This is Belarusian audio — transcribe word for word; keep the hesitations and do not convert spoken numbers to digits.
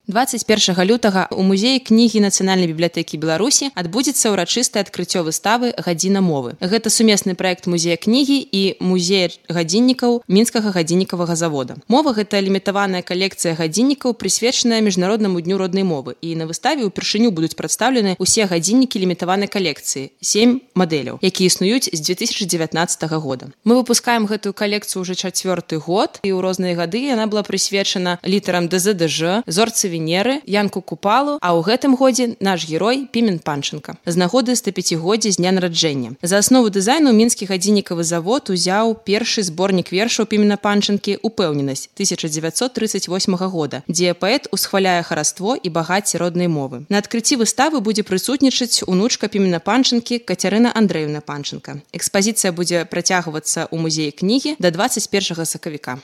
дваццаць першага лютага ў музеі кнігі Нацыянальнай бібліятэкі Беларусі адбудзецца ўрачыстае адкрыццё выставы «Гадзіна мовы». Гэта сумесны праект музея кнігі і музея гадзіннікаў Мінскага гадзіннікавага завода. Мова – гэта лімітаваная калекцыя гадзіннікаў, прысвечаная Міжнароднаму дню роднай мовы. І на выставе ўпершыню будуць прадстаўлены ўсе гадзіннікі лімітаванай калекцыі, сем мадэляў, якія існуюць з дзве тысячы дзевятнаццатага года. Мы выпускаем гэтую калекцыю ўжо чацвёрты год, і ў розныя гады яна была прысвечана літарам дэ зэ дэ жэ, зорцы Венеры, Янку Купалу, а ў гэтым годзе наш герой Пімен Панченка. З нагоды стапяцігоддзя з дня нараджэння. За аснову дызайну Мінскі гадзіннікавы завод узяў першы зборнік вершаў Пімена Панченкі «Упэўненасць» тысяча дзевяцьсот трыццаць восьмага года, дзе паэт усхваляе хараство і багацце роднай мовы. На адкрыцці выставы будзе прысутнічаць унучка Пімена Панченкі Кацярына Андрэевна Панченка. Экспазіцыя будзе працягвацца ў музеі кнігі да дваццаць першага сакавіка.